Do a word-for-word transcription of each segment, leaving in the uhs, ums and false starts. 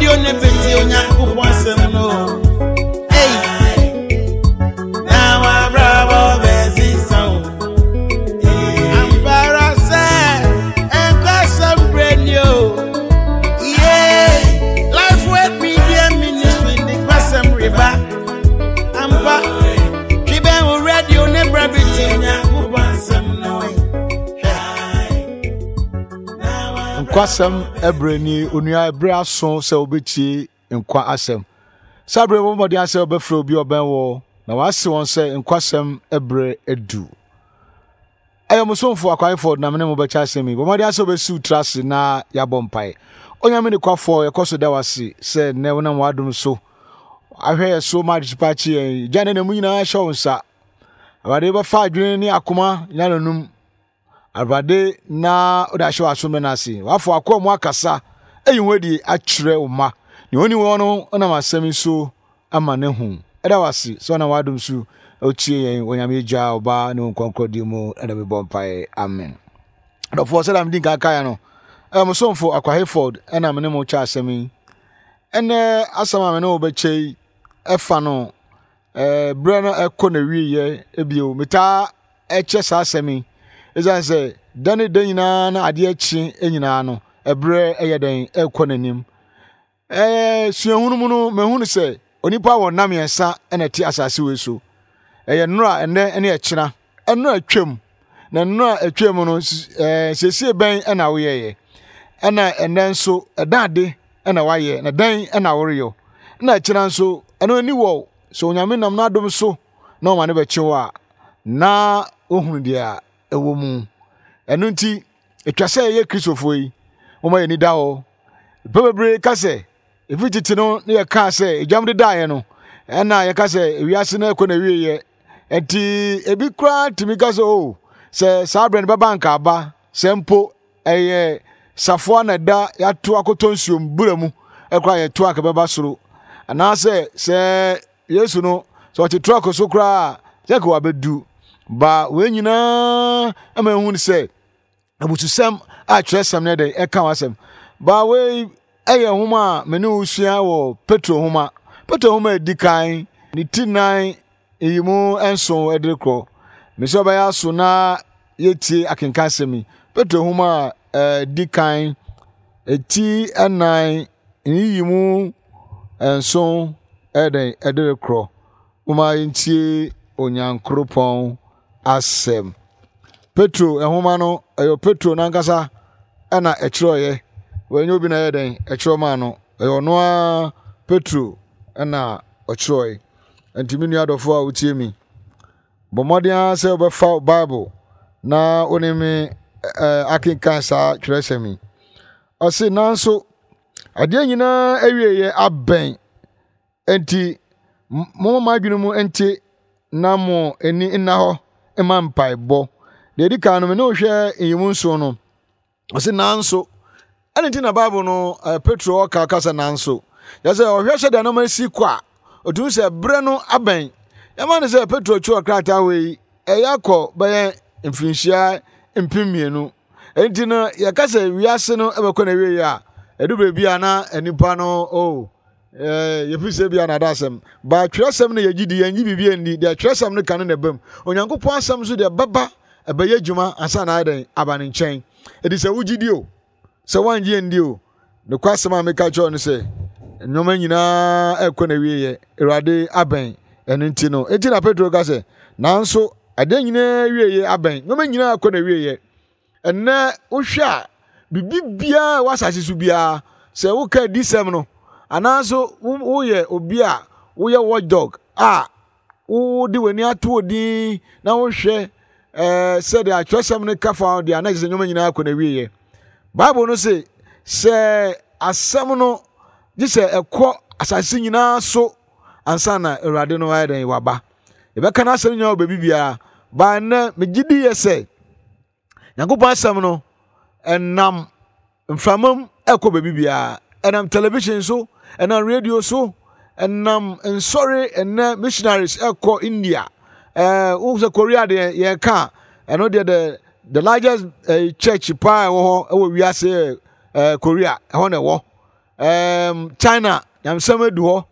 Radio ne bɛtie Onyankopɔn asɛm no. Ei, na wabrabɔ bɛsesa wo. Ampa ara sɛ nkwasɛm berɛ ni o. Yeah, Life Word Media Ministry de nkwasɛm reba. Ampa, twe bɛn wo radio ne bra bɛtie Onyankopɔn asɛm no. Nkwasɛm ɛberɛ ni, onua. Ɛberɛ aso sɛ wobɛtie nkwa asɛm. Saa berɛ, bɔ mmɔden sɛ wobɛfrɛ obi a ɔbɛn wɔ na wase wɔn sɛ nkwasɛm ɛberɛ adu. Ɛyɛ mo somfo Akwaefoɔ na mene mo bɛkyɛ asɛm yi. Bɔ mmɔden sɛ wobɛsiw tra ase na yɛabɔ mpae. Onyame ne kwafoɔ, yɛkɔ so da wase sɛ nnɛ wonam w'adom so ahwɛ yɛ so ma adekyepa akye yɛn. Gya ne na mu nyinaa hyɛ wo nsa. Awurade, wobɛfa adwene ne akoma nya nanum. Awurade, na wode ahyɛ w'asomdwe no ase. Wafo akoa mu akasa ayi ho adi akyerɛ wo ma nea ɔni wɔn no nam asɛm yi so ama ne ho. Ɛda wase sɛ ɔnam w'adom so ɔtie yɛn. Wɔ Nyame Agya, Ɔba ne wo nkɔnkɔdi mu ɛna mebɔ mpae, amen. Adɔfoɔ, sɛdeɛ medi nka kaeɛ no, ɛyɛ mo somfo Akwa Hayford ɛna me ne mo kyɛ asɛm yi. Ɛnɛ asɛm a me ne wo bɛkyɛ yi ɛfa no ɛɛ berɛ no ɛkɔ na wieɛ. Ebio metaa ɛkyɛ saa asɛm yi ɛsiane sɛ da ne da nyinaa na adeɛ kye nyinaa no, ɛberɛ ɛyɛ dɛn ɛkɔ n'anim. Ɛɛ suahunu mu no, mahunu sɛ onipa wɔ nna mmiɛnsa ɛna ɛte asase wei so. Ɛyɛ nnora, ɛnɛ ne ɛkyena. Ɛnnora atwam, na nnora atwam no, ɛɛ siesie bɛn ɛna woyɛyɛ? Ɛna ɛnɛ nso, ɛda ade ɛna wayɛ na dɛn ɛna woreyɛ? Ɛna ɛkyena nso, ɛno ani wɔ sɛ Onyame nam n'adom so na ɔma ne bɛkye hɔ a na wohunu deɛ a ɛwɔ mu. Ɛno nti atwa sɛ yɛyɛ Kristofoɔ yi, wɔma yɛni da hɔ. Nnipa bebree ka sɛ ɛfiri tete no ne yɛkaa sɛ egyam de daeɛ no, ɛna yɛka sɛ ewiase no ɛkɔ na wieɛ. Nti ebi koraa tumi ka sɛ, o, sɛ saa berɛ no bɛba nka aba, sɛ mpo ɛyɛ safoa na ɛda yɛato akɔtɔ nsuom bura mu ɛkoraa yɛto anka bɛba soro, anaasɛ sɛ Yesu no sɛ ɔte trɔk so koraa sɛ ka wabɛdu ba. Wei nyinaa ama ehu sɛ abususɛm a twerɛsɛm no dɛn ɛka w'asɛm ba. Wei ɛyɛ nhoma a me ne wo sua wɔ Petro nhoma, Petro nhoma a ɛdi kan, ne ti nan yi mu nson ɛde korɔ. Mesɛ ɔbɛyɛ aso na yɛtie akenka asɛm yi. Petro nhoma a ɛdi kan, ɛti ɛnan, yiyi mu nson ɛdɛn ɛde korɔ. Moma yɛntie Onyankoropɔn asɛm. Petro nhoma no, ɛyɛ Petro nankasa ɛna ɛkyerɛɔyɛ. Wɔnyɛ obi na ɛyɛ dɛn ɛkyerɛ maa no, ɛyɛ ɔno ara Petro ɛna ɔkyerɛɔyɛ. Nti me nua dɔfo a wotie mi, bɔ mmɔden ara sɛ wobɛfa Bible na wo ne me ɛɛ akenkan saa twerɛsɛm yi. Ɔse, nanso adeɛ nyinaa awieeɛ abɛn, nti momma mo adwene mu nte na mo ani nna hɔ mma mpaebɔ. Deɛ ɛdi kan no, me ne wohwɛ nyimu nson no. Ɔse nanso, ɛne nti na Bible no uh, Petro ɔka kasa nanso yɛ sɛ ɔhwɛ sɛ deɛ nneɛma si kɔ a, ɔtumi sɛ berɛ no abɛn. Yɛma no sɛ Petro twerɛ krataa wei, ɛyɛ akɔ bɛyɛ mfirinhyia mpem mmienu. Nti no yɛka sɛ wiase no ɛbɛkɔ na wie a, ɛdu baabi a na nipa no o yɛfiri sɛ bia nada asɛm ba. Twerɛsɛm no yɛgye di, yɛngye biribi ani. Deɛ twerɛsɛm no ka no na ɛbam. Onyankopɔn asɛm nso deɛ bɛba ɛbɛyɛ adwuma ansa na ayɛ dɛn aba ne nkyɛn. Ɛdi sɛ wogye di o, sɛ woangye ndi o, nokwa asɛm a meka kyerɛ no sɛ nneɛma nyinaa ɛkɔ na wieɛ, Awurade abɛn. Ɛno nti no, enti na Petro ka sɛ nanso adeɛ nyinaa wieɛ abɛn, nneɛma nyinaa kɔ na wieɛ. Ɛnɛ wohwɛ a, biribi biara wɔ asase so biara, sɛ woka adisɛm no anaasɛ woyɛ obi a woyɛ watchdog a wode w'ani ato odin na wohwɛ ɛɛ sɛdeɛ atwerɛsɛm no ka fa deɛ, ana kyerɛ sɛ nneɛma nyinaa kɔ na wieɛ. Bible no se sɛ asɛm no gye sɛ ɛkɔ asase nyinaa so ansa na Awurade no ayɛ dɛn waba. Yɛbɛka no asɛm nyinaa wɔ baabi biara baa. Nnɛ megye di yɛ sɛ Nyankopɔn asɛm no ɛnam mframa mu ɛkɔ baabi biara, ɛnam television so, ɛnam radio so, ɛnam nsɔre. Ɛnɛ missionaries ɛkɔ India, ɛɛ wo sɛ Korea deɛ yɛka ɛno deɛ, the the largest uh, church paa ɛwɔ hɔ ɛwɔ wiase, ɛɛ Korea ɛhɔ na ɛwɔ. Um, China nyamesɛm adu hɔ.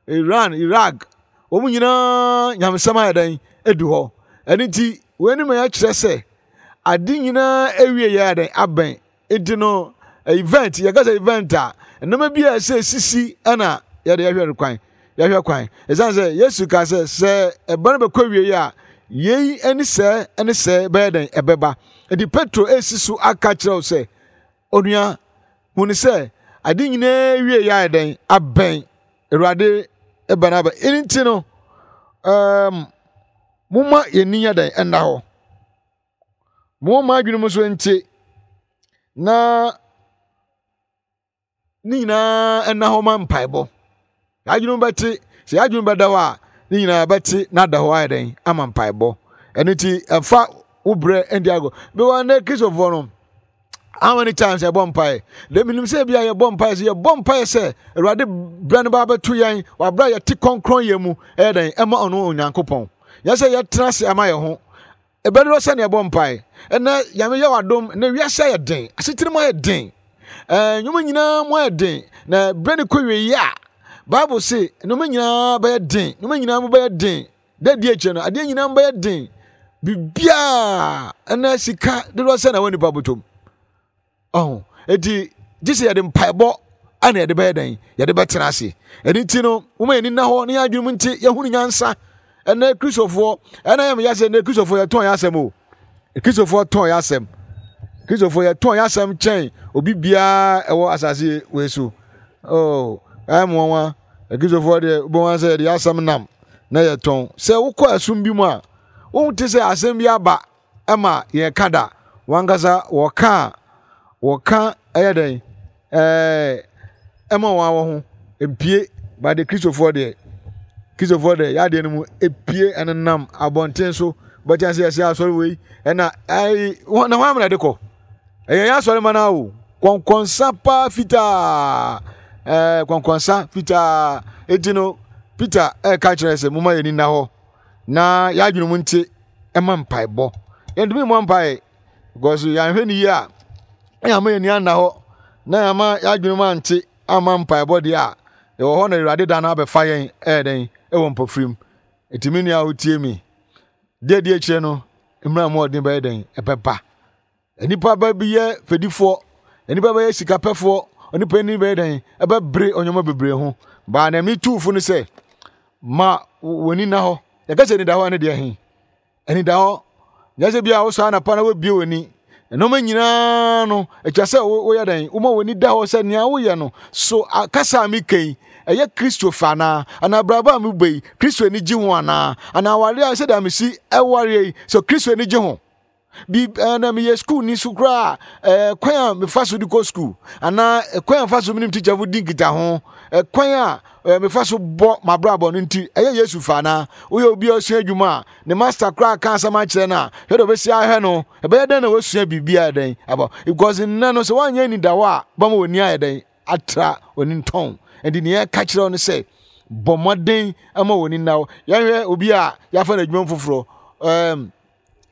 Iran, Iraq, wɔn nyinaa nyamesɛm ayɛ dɛn adu hɔ. Ɛno nti, wei no ma yɛkyerɛ sɛ ade nyinaa awie yɛ dɛn abɛn. Nti no, event, yɛka sɛ event a, nneɛma bi a ɛsɛ sisi ɛna yɛde yɛhwɛ kwan. Yɛhwɛ kwan. Ɛsiane sɛ Yesu ka sɛ sɛ ɛba no bɛkɔ wie a, yei ne sɛ ne sɛ bɛyɛ dɛn ɛbɛba. Nti Petro esi so aka kyerɛ wo sɛ, onua, hunu sɛ ade nyinaa wie yɛ ayɛ dɛn abɛn. Awurade ɛba no aba. Ɛno nti no, um, momma yɛn yɛ dɛn ɛnna hɔ. Momma adwene mu nso nte na ne nyinaa ɛnna hɔ ma mpaebɔ. Yɛadwene bɛte, sɛ yɛadwene bɛda hɔ a, ne nyinaa bɛte na ada hɔ ayɛ dɛn ama mpaebɔ. Ɛno nti ɛmfa wo berɛ ndi agorɔ. Bɛwɔ ne Kristofoɔ no, how many times yɛbɔ mpae? De menim sɛ bia yɛbɔ mpae sɛ yɛbɔ mpae sɛ Awurade berɛ no ba bɛto yɛn wɔ aberɛ a yɛte kɔnkrɔn yɛ mu ɛyɛ dɛn ɛma ɔno Onyankopɔn. Yɛ sɛ yɛtena ase ama yɛn ho. Ɛbɛdorɔ sɛ ne yɛbɔ mpae. Ɛnɛ Nyame yɛ w'adom, ɛnɛ wiase ayɛ den, asetena mu ayɛ den. Ɛɛ nnwuma nyinaa mu ayɛ den, na berɛ no kɔ wie a, Bible se nneɛma nyinaa bɛyɛ den, nneɛma nyinaa mu bɛyɛ den. Da di akyire no, adeɛ nyinaa mu bɛyɛ den. Biribiara ɛnɛ sika dodoɔ sɛ na wɔ nipa bɔtɔm. Ɔho, eti gye sɛ yɛde mpaebɔ ɛna yɛde bɛyɛ dɛn, yɛde bɛtena ase. Ɛno nti no, wɔn yɛn nina hɔ ne yɛn adwene mu nti yɛhunu nyansa. Ɛnɛ Kristofoɔ, ɛna yɛn yɛ sɛ ɛnɛ Kristofoɔ yɛtɔn yɛn asɛm o. Kristofoɔ tɔn yɛn asɛm. Kristofoɔ yɛtɔn yɛn asɛm kyɛn obi biara ɛwɔ asase wei so. Oh, ɛyɛ mo nwanwa. Kristofoɔ deɛ wobɛhu sɛ yɛde yɛn asɛm nam na yɛtɔn. Sɛ wokɔ ɛsom bi mu a, wohu te sɛ asɛm bi aba ɛma yɛka da. Wankasa wɔka a, wɔka ɛyɛ dɛn? Ɛɛ ɛma wɔn awɔ ho mpie. Ba de Kristofoɔ deɛ, Kristofoɔ deɛ yɛadeɛ no mu epie ɛnenam abɔnten so. Bɛkyɛn sɛ yɛsɛ asɔre wei ɛna ɛyi wɔn na wɔn amena de kɔ. Ɛyɛ yɛn asɔre ma na o. Kɔnkɔnsa paa fitaa. Ɛɛ kɔnkɔnsa fitaa. Eti no Peter ɛka kyerɛ sɛ mo ma yɛn ni na hɔ na yɛadwene mu nte ɛma mpaebɔ. Yɛntumi mmɔ mpae because yɛanhwɛ ne yie a ɛyɛ ama yɛn ni anna hɔ na yɛama yɛadwene mu ante ama mpaebɔ deɛ a yɛwɔ hɔ na Awurade da no abɛfa yɛn ɛyɛ dɛn ɛwɔ mpɔfirim. Eti me nua a wotie mi deɛ di akyire no mmerɛ mu ɔden bɛyɛ dɛn ɛbɛba. Nipa ba bi yɛ fɛdifoɔ, nipa bɛyɛ sikapɛfoɔ, nipa ni bɛyɛ dɛn ɛbɛbere ɔnyɔma bebree ho. Baa na mi tuufo no sɛ ma w'ani na hɔ. Yɛka sɛ anida hɔ ɛne deɛ he anida hɔ. Nyɛ sɛ bia wosɔ anapa na wabie w'ani. Nneɛma nyinaa no atwa sɛ woyɛ dɛn woma w'ani da hɔ sɛ nea woyɛ no so kasa a meka yi ɛyɛ Kristo fa anaa, anaa abrabɔ a mebɔ yi Kristo ani gye ho anaa, anaa awareɛ a sɛdeɛ mesi ɛwareɛ yi so Kristo ani gye ho. Bi ɛna meyɛ school ni so koraa ɛɛ kwan a mefa so de kɔ school anaa kwan a mefa so menim teacher fo di nkita ho, kwan a mefa so bɔ m'abrabɔ no nti ɛyɛ Yesu fa anaa. Woyɛ obi a ɔsua adwuma a ne master koraa ka asɛm akyerɛ no a hwɛ deɛ ɔbɛsi ahwɛ no ɛbɛyɛ dɛn na wasua biribi ayɛ dɛn abɔ because nnɛ no sɛ woanyɛ anidaho a bɛma w'ani ayɛ dɛn atra w'ani ntɔn. Nti nea ɛka kyerɛ wo no sɛ bɔ mmɔden ama w'ani nna hɔ. Yɛhwɛ obi a yɛafa no adwuma foforɔ, ɛɛm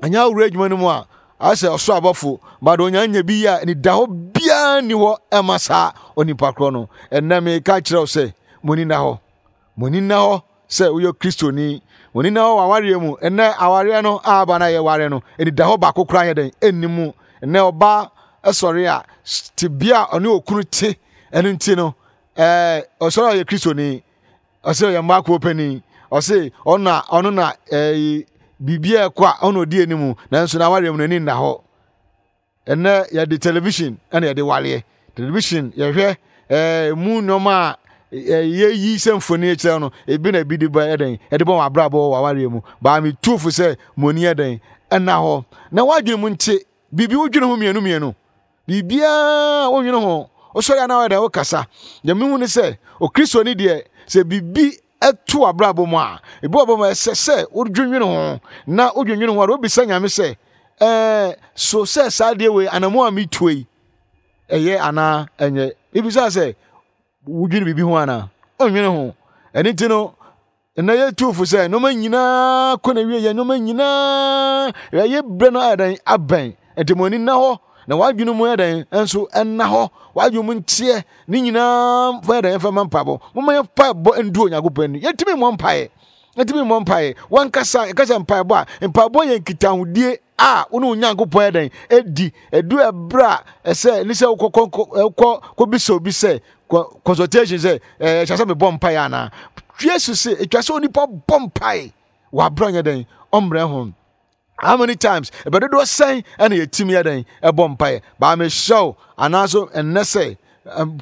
ɛnyɛ awura adwuma no mu a asɛ ɔsoro abɔfo but onya nya bi a anidaho biara nni hɔ ɛma saa onipa korɔ no. Ɛnnɛ meka kyerɛ wo sɛ mo ani nna hɔ, mo ani nna hɔ sɛ woyɛ Kristoni, mo ani nna hɔ wɔ awareɛ mu. Ɛnnɛ awareɛ no a aba no a yɛware no anidaho baako koraa yɛ dɛn ɛnni mu. Ɛnnɛ ɔbaa sɔre a tebea a ɔne okunu te ɛno nti no ɛɛ ɔsɔre a ɔyɛ Kristoni, ɔsɛ ɔyɛ mmaa kuo panin, ɔsɛ ɔno na ɔno na ɛɛ biribi a ɛkɔ a ɔno ɔdi anim, nanso n'awareɛ mu n'ani nna hɔ. Ɛnnɛ yɛde television ɛna yɛde wareɛ. Television yɛhwɛ ɛɛ mu nneɛma a yɛyi sɛ mfoni kyerɛ no ebi na ebi de ba ɛdɛn ɛde bɔ wɔn abrabɔ wɔ awareɛ mu. Baa mi tu fo sɛ mo ani ɛdɛn ɛnna hɔ na wadwene mu nte biribi wodwene ho mmienu mmienu. Biribiara wonwene ho wosɔre anaa wɔyɛ dɛn wokasa. Deɛ mehu ne sɛ Okristoni deɛ sɛ biribi ɛto abrabɔ mu a ebi wɔ bɔ mu ɛsɛ sɛ wodwendwene ho na wodwendwene ho a wobisa Nyame sɛ ɛɛ so sɛ saa deɛ wei anamu a metuo yi ɛyɛ anaa ɛnyɛ. Ebisa sɛ wodwene biribi ho anaa ɔnwene ho. Ɛno nti no ɛnɛ yɛ tuufo sɛ nneɛma nyinaa kɔ na wie yɛ nneɛma nyinaa yɛyɛ berɛ no ayɛ dɛn abɛn. Nti mo ani nna hɔ Na w'adwene mu yɛ dɛn nso ɛnna hɔ, w'adwene mu nteɛ ne nyinaa fa yɛ dɛn fa ma mpaebɔ. Momma yɛn mpaebɔ ndu Onyankopɔn anim. Yɛntumi mmɔ mpaeɛ, yɛntumi mmɔ mpaeɛ. Wankasa yɛka sɛ mpaebɔ a, mpaebɔ yɛ nkitahodie a wo ne Onyankopɔn yɛ dɛn ɛdi. Ɛdu ɛberɛ a ɛsɛ ne sɛ wokɔ kɔ kɔbisa obi sɛ consultation sɛ ɛɛ ɛhyɛ sɛ mebɔ mpaeɛ anaa. Yesu sɛ ɛtwa sɛ onipa bɔ mpaeɛ wɔ aberɛ nyɛ dɛn ɔmmerɛ ho. How many times ɛbɛdodoɔ sɛn ɛna yɛtumi yɛ dɛn ɛbɔ mpaeɛ? Baa mehyɛ wo anaaso ɛnnɛ sɛ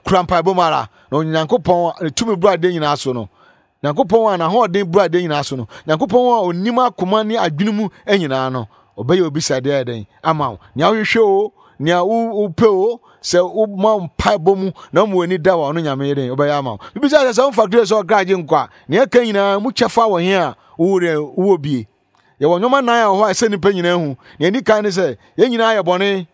kura mpaebɔ mu ara na Onyankopɔn ne tumi buru adeɛ nyinaa so no, Nyankopɔn a n'ahoɔden buru adeɛ nyinaa so no, Nyankopɔn a onim akoma ne adwene mu nyinaa no, ɔbɛyɛ obi sɛ adeɛ yɛ dɛn ama wo. Nea wohwehwɛ o, nea wopɛ o, sɛ woma mpaebɔ mu na woma w'ani da wɔ ɔno Nyame yɛ dɛn ɔbɛyɛ ama wo. Bibisa sɛ sɛ womfa Kristo sɛ ɔkra agye nkwa a, nea ɛka nyinaa mu kyɛfa wɔ he a wowɔ wowɔ bie. Yɛwɔ nneɛma nnan a wɔ hɔ a ɛsɛ nnipa nyinaa hu. Nea ɛdi kan ne sɛ yɛn nyinaa yɛ bɔne.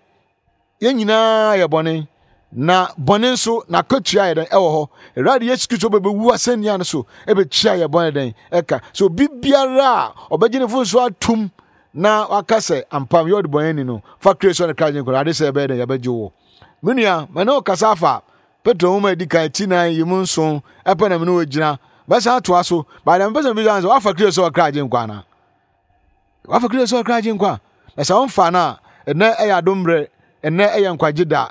Yɛn nyinaa yɛ bɔne. Na bɔne nso n'akatua yɛ dɛn ɛwɔ hɔ. Awurade Yesu Kristo bɛbɛwu asɛnnua no so ɛbɛtua yɛ bɔne dɛn ɛka. So obi biara a ɔbɛgye ne fo so atum na waka sɛ ampa meyɛ ɔdebɔneyɛni no, fa Kristo ne kra gye nkwa. Awurade sɛ ɛbɛyɛ dɛn yɛbɛgye wo. Me nua, mene wo kasa afa Petro nwoma a ɛdi kan ti nan yi mu nson ɛpɛ na mene wo gyina. Bɛsan atoa so. Baada mepɛ sɛ mebisa sɛ wafa Kristo sɛ ɔkra agye nkwa anaa? Wafa Kristo sɛ ɔkra agye nkwa. Na sɛ womfa no a, ɛnɛ ɛyɛ adom mmerɛ, ɛnɛ ɛyɛ nkwagye da.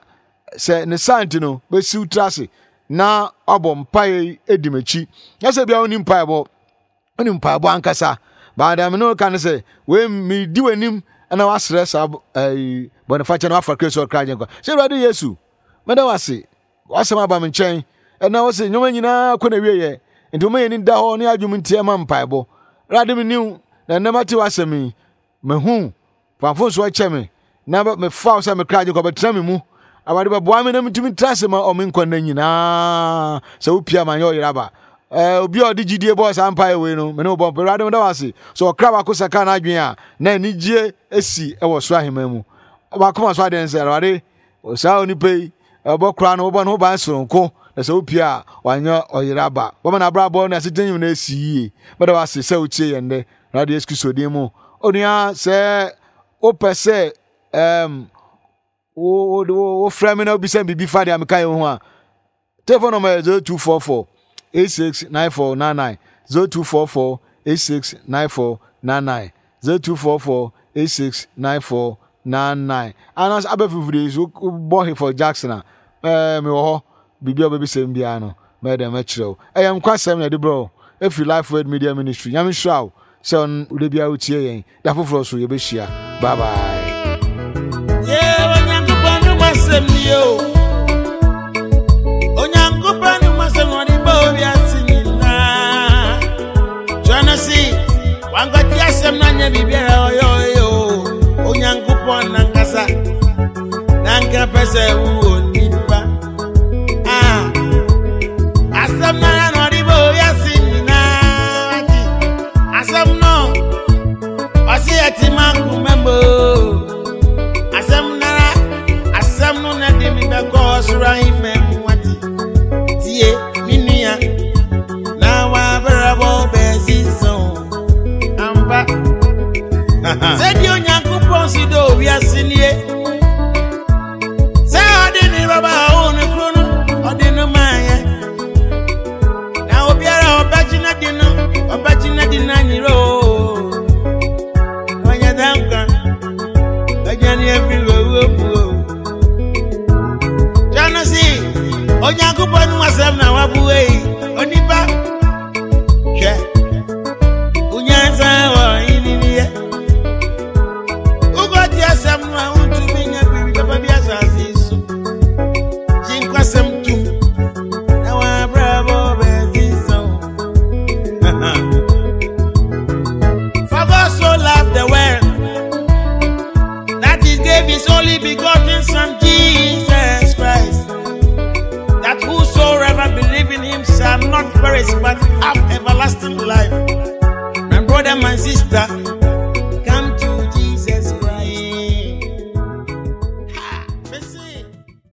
Sɛ ne saa nti no, bɛsiw tiri ase na wabɔ mpaeɛ yi adi m'akyi. Na sɛ bia wonni mpaebɔ, wonni mpaebɔ ankasa. Baada me ne wo ka ne sɛ, wei medi w'anim na wasrɛ saa ɛyi bɔnefakyɛ na wafa Kristo sɛ ɔkra agye nkwa. Sɛ Awurade Yesu, meda wo ase, w'asɛm aba me nkyɛn. Ɛna wo se nneɛma nyinaa kɔ na wieɛ. Nti woma yɛn ani da hɔ ne adwom nti ɛma mpaebɔ. Awurade me niw, na ɛnnɛ mate w'asɛm yi. Mahu fa mfomsoɔ kyɛ me na mefa wo sɛ me kra agye nkwa bɛtena me mu. Awurade bɛboa me na metumi tra ase ma ɔme nkwa nna nyinaa. Sɛ wopia ma nyɛ ɔyere aba. Eh, obi a ɔde gyidie bɔɔ saa mpaeɛ wei no, me ne wo bɔ mpa. Awurade meda wo ase. Sɛ ɔkra baako sakra n'adwene a, na anigyeɛ asi wɔ soro ahemman mu. Wakoma so adeɛ ne sɛ, Awurade, saa onipa yi, ɛbɔ koraa no, wobɔ ne ho ban soronko, na sɛ wopia a, wanyɛ ɔyere aba. Wɔma n'abrabɔ ne asetena nyinaa asi yie. Meda wo ase sɛ wotie yɛn nnɛ. Awurade Yesu Kristo din mu. Onua, sɛ wopɛ sɛ um, wofrɛ me na wobisa me biribi fa deɛ meka yɛ ho a, telephone number yɛ zero two four four eight six nine four nine nine, zero two four four eight six nine four nine nine, zero two four four eight six nine four nine nine. Anaasɛ abɛfifiri so wobɔ Hayford Jackson a, ɛɛ mewɔ hɔ. Biribi a wobɛbisa mu biara no, mɛyɛ dɛn mɛkyerɛ wo. Ɛyɛ nkwasɛm na ɛde brɛ wo ɛfiri Life Word Media Ministry. Nyame nhyira wo sɛ wode biara wotie yɛn. Da foforɔ so yɛbɛhyia. Bye bye. Yeah, Onyankopɔn no masɛm ni o. Onyankopɔn no masɛm na ɔde bɔ wiase nyinaa. Twerɛ no se, wankɔte asɛm no anyɛ biribiara ɔyɛ ɔyɛ o. Onyankopɔn nankasa, nanka pɛ sɛ wowɔ nipa. Ah, asɛm no ara na ɔde bɔ wiase nyinaa. Asɛm no, ɔse ɛte m'akoma mu o. Asɛm nara, asɛm no na de me bɛkɔ ɔsoro ahemman mu ate. Tie, me nua, na w'abrabɔ bɛsesa o. Ampa. Sɛdeɛ Onyankopɔn si dɔ wiase nie. Sɛ ɔde ne baba a ɔwɔ ne kuro no, ɔde no maa yɛn. Na obiara a ɔbɛgye n'adi no, ɔbɛgye n'adi n'anyerɛ o. Ɔnyɛ dɛ nkwa, ɔgyane afiri owuo mu o. Twerɛ no se, Onyankopɔn no asɛm na wabue yi.